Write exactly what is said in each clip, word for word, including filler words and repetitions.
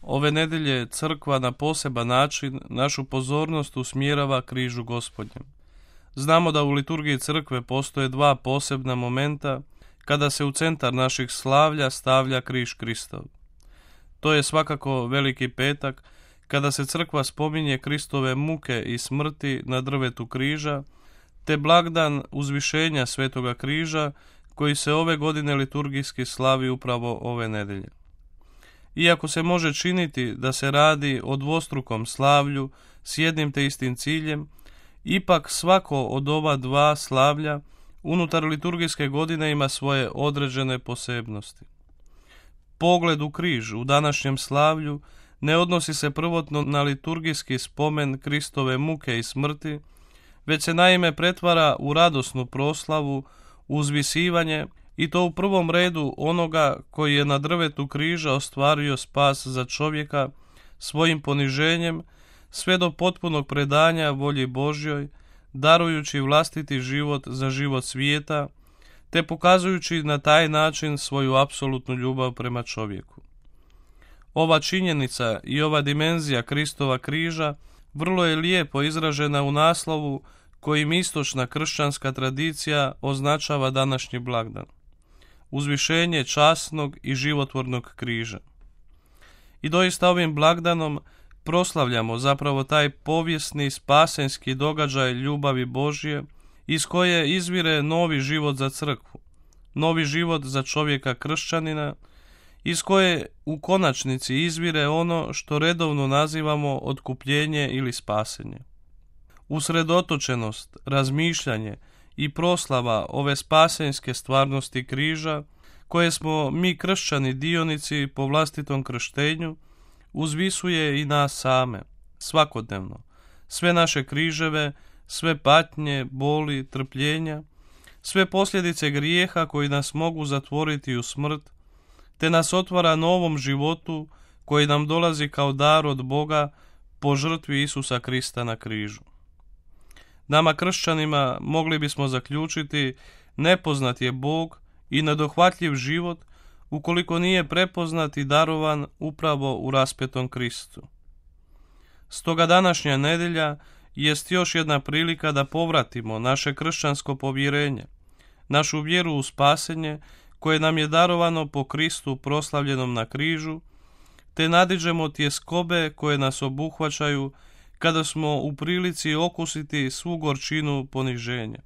Ove nedelje crkva na poseban način našu pozornost usmjerava križu Gospodnjem. Znamo da u liturgiji crkve postoje dva posebna momenta kada se u centar naših slavlja stavlja križ Kristov. To je svakako Veliki petak, kada se crkva spominje Kristove muke i smrti na drvetu križa, te blagdan uzvišenja Svetoga križa, koji se ove godine liturgijski slavi upravo ove nedelje. Iako se može činiti da se radi o dvostrukom slavlju s jednim te istim ciljem, ipak svako od ova dva slavlja unutar liturgijske godine ima svoje određene posebnosti. Pogled u križ u današnjem slavlju ne odnosi se prvotno na liturgijski spomen Kristove muke i smrti, već se naime pretvara u radosnu proslavu, uzvisivanje, i to u prvom redu onoga koji je na drvetu križa ostvario spas za čovjeka svojim poniženjem sve do potpunog predanja volji Božjoj, darujući vlastiti život za život svijeta, te pokazujući na taj način svoju apsolutnu ljubav prema čovjeku. Ova činjenica i ova dimenzija Kristova križa vrlo je lijepo izražena u naslovu kojim istočna kršćanska tradicija označava današnji blagdan: uzvišenje časnog i životvornog križa. I doista ovim blagdanom proslavljamo zapravo taj povijesni spasenski događaj ljubavi Božje, iz koje izvire novi život za crkvu, novi život za čovjeka kršćanina, iz koje u konačnici izvire ono što redovno nazivamo otkupljenje ili spasenje. Usredotočenost, razmišljanje i proslava ove spasenske stvarnosti križa, koje smo mi kršćani dionici po vlastitom krštenju, uzvisuje i nas same, svakodnevno, sve naše križeve, sve patnje, boli, trpljenja, sve posljedice grijeha koji nas mogu zatvoriti u smrt, te nas otvara novom životu koji nam dolazi kao dar od Boga po žrtvi Isusa Krista na križu. Nama kršćanima mogli bismo zaključiti nepoznat je Bog i nedohvatljiv život ukoliko nije prepoznat i darovan upravo u raspetom Kristu. Stoga današnja nedjelja jest još jedna prilika da povratimo naše kršćansko povjerenje, našu vjeru u spasenje koje nam je darovano po Kristu proslavljenom na križu, te nadiđemo tjeskobe koje nas obuhvaćaju kada smo u prilici okusiti svu gorčinu poniženja.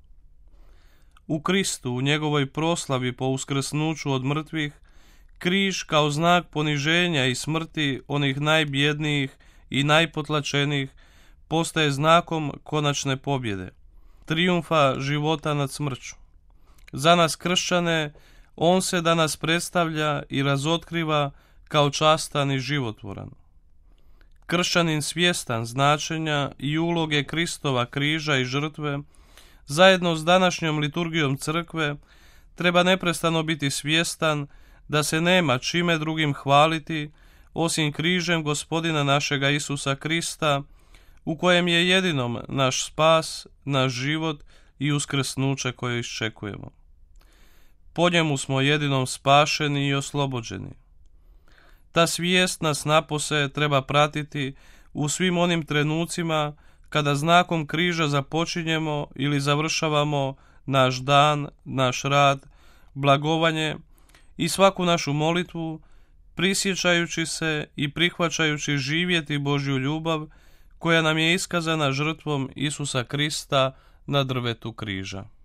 U Kristu, u njegovoj proslavi po uskrsnuću od mrtvih, križ kao znak poniženja i smrti onih najbjednijih i najpotlačenijih postaje znakom konačne pobjede, trijumfa života nad smrću. Za nas kršćane on se danas predstavlja i razotkriva kao častan i životvoran. Kršćanin svjestan značenja i uloge Kristova križa i žrtve, zajedno s današnjom liturgijom crkve, treba neprestano biti svjestan da se nema čime drugim hvaliti osim križem Gospodina našega Isusa Krista, u kojem je jedinom naš spas, naš život i uskrsnuće koje iščekujemo. Po njemu smo jedinom spašeni i oslobođeni. Ta svijest nas napose treba pratiti u svim onim trenucima kada znakom križa započinjemo ili završavamo naš dan, naš rad, blagovanje i svaku našu molitvu, prisjećajući se i prihvaćajući živjeti Božju ljubav koja nam je iskazana žrtvom Isusa Krista na drvetu križa.